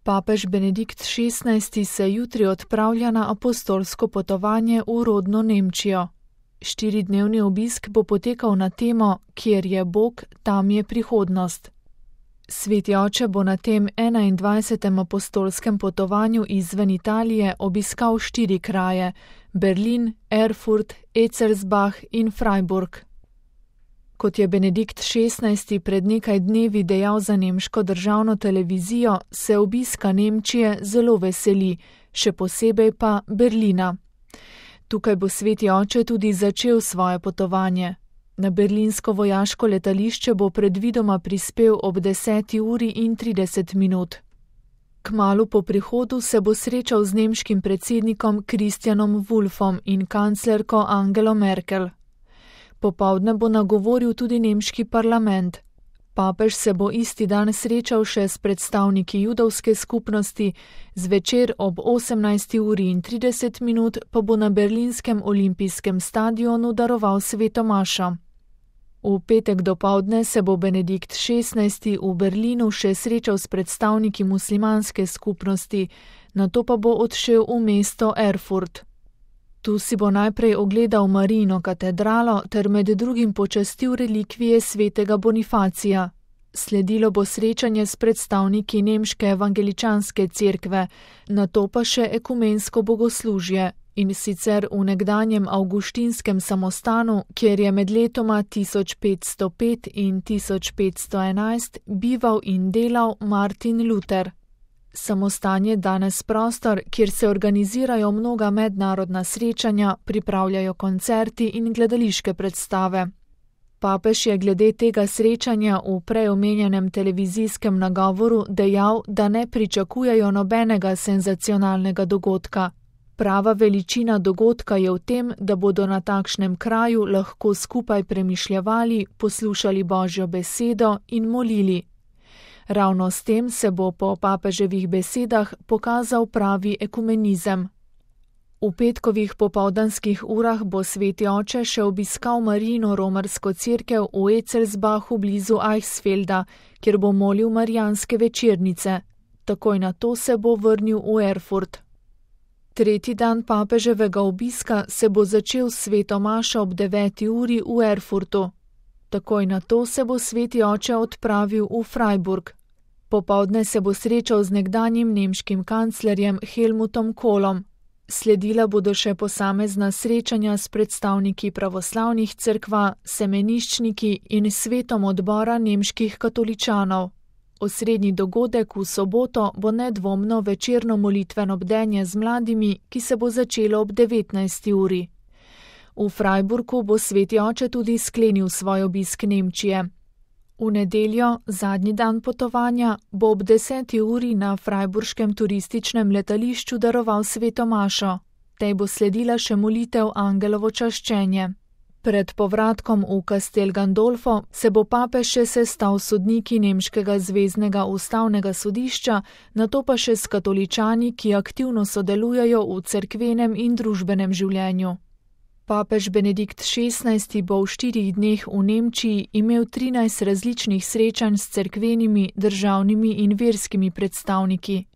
Papež Benedikt XVI. Se jutri odpravlja na apostolsko potovanje v rodno Nemčijo. 4-dnevni obisk bo potekal na temo Kjer je Bog, tam je prihodnost. Sveti oče bo na tem 21. apostolskem potovanju izven Italije obiskal 4 kraje: Berlin, Erfurt, Etzelsbach in Freiburg. Kot je Benedikt XVI. Pred nekaj dnevi dejal za nemško državno televizijo, se obiska Nemčije zelo veseli, še posebej pa Berlina. Tukaj bo sveti oče tudi začel svoje potovanje. Na berlinsko vojaško letališče bo predvidoma prispel ob 10:30. Kmalu po prihodu se bo srečal z nemškim predsednikom Christianom Wulffom in kanclerko Angelo Merkel. Popoldne bo nagovoril tudi nemški parlament. Papež se bo isti dan srečal še s predstavniki judovske skupnosti, zvečer ob 18:30 pa bo na berlinskem olimpijskem stadionu daroval sveto mašo. V petek dopoldne se bo Benedikt XVI. V Berlinu še srečal s predstavniki muslimanske skupnosti, nato pa bo odšel v mesto Erfurt. Tu si bo najprej ogledal Marijino katedralo ter med drugim počastil relikvije svetega Bonifacija. Sledilo bo srečanje s predstavniki nemške evangeličanske cerkve, nato pa še ekumensko bogoslužje, in sicer v nekdanjem avguštinskem samostanu, kjer je med letoma 1505 in 1511 bival in delal Martin Luther. Samostan je danes prostor, kjer se organizirajo mnoga mednarodna srečanja, pripravljajo koncerti in gledališke predstave. Papež je glede tega srečanja v prej omenjenem televizijskem nagovoru dejal, da ne pričakujejo nobenega senzacionalnega dogodka. Prava veličina dogodka je v tem, da bodo na takšnem kraju lahko skupaj premišljevali, poslušali Božjo besedo in molili. Ravno s tem se bo po papeževih besedah pokazal pravi ekumenizem. V petkovih popoldanskih urah bo sveti oče še obiskal Marijino romarsko cerkev v Etzelsbachu blizu Eichsfelda, kjer bo molil marijanske večernice. Takoj nato se bo vrnil v Erfurt. Tretji dan papeževega obiska se bo začel s sveto mašo ob 9. uri v Erfurtu. Takoj nato se bo sveti oče odpravil v Freiburg. Popoldne se bo srečal z nekdanjim nemškim kanclerjem Helmutom Kohlom. Sledila bodo še posamezna srečanja s predstavniki pravoslavnih cerkva, semeniščniki in svetom odbora nemških katoličanov. Osrednji dogodek v soboto bo nedvomno večerno molitveno bdenje z mladimi, ki se bo začelo ob 19. uri. V Freiburgu bo sveti oče tudi sklenil svoj obisk Nemčije. V nedeljo, zadnji dan potovanja, bo ob 10. uri na freiburškem turističnem letališču daroval sveto mašo. Tej bo sledila še molitev angelovo čaščenje. Pred povratkom v Castel Gandolfo se bo papež še sestal s sodniki nemškega zveznega ustavnega sodišča, nato pa še s katoličani, ki aktivno sodelujejo v cerkvenem in družbenem življenju. Papež Benedikt XVI. Bo v 4 dneh v Nemčiji imel 13 različnih srečanj s cerkvenimi, državnimi in verskimi predstavniki.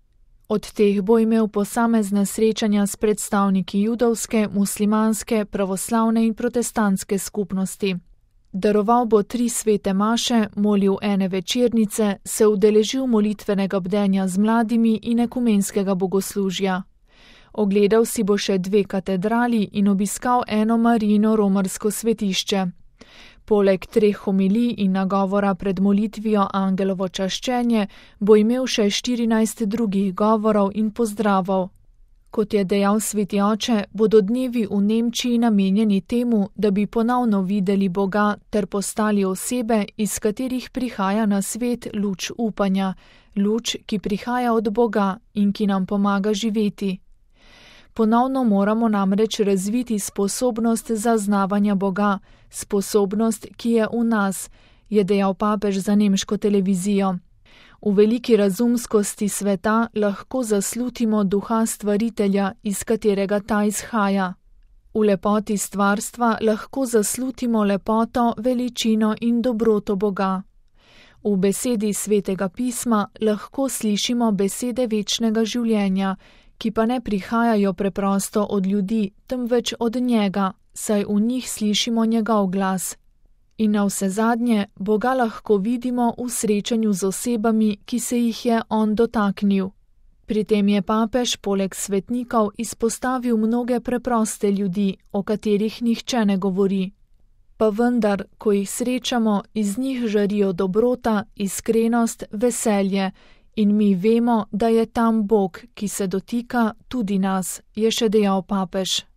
Od teh bo imel posamezna srečanja s predstavniki judovske, muslimanske, pravoslavne in protestantske skupnosti. Daroval bo 3 svete maše, molil ene večernice, se udeležil molitvenega bdenja z mladimi in ekumenskega bogoslužja. Ogledal si bo še 2 katedrali in obiskal eno Marijino romarsko svetišče. Poleg 3 homilij in nagovora pred molitvijo angelovo čaščenje bo imel še 14 drugih govorov in pozdravov. Kot je dejal sveti oče, bodo dnevi v Nemčiji namenjeni temu, da bi ponovno videli Boga ter postali osebe, iz katerih prihaja na svet luč upanja, luč, ki prihaja od Boga in ki nam pomaga živeti. Ponovno moramo namreč razviti sposobnost zaznavanja Boga, sposobnost, ki je v nas, je dejal papež za nemško televizijo. V veliki razumskosti sveta lahko zaslutimo duha stvaritelja, iz katerega ta izhaja. V lepoti stvarstva lahko zaslutimo lepoto, veličino in dobroto Boga. V besedi Svetega pisma lahko slišimo besede večnega življenja, ki pa ne prihajajo preprosto od ljudi, temveč od njega, saj v njih slišimo njegov glas. In navsezadnje Boga lahko vidimo v srečanju z osebami, ki se jih je on dotaknil. Pri tem je papež poleg svetnikov izpostavil mnoge preproste ljudi, o katerih nihče ne govori. Pa vendar, ko jih srečamo, iz njih žarijo dobrota, iskrenost, veselje in mi vemo, da je tam Bog, ki se dotika tudi nas, je še dejal papež.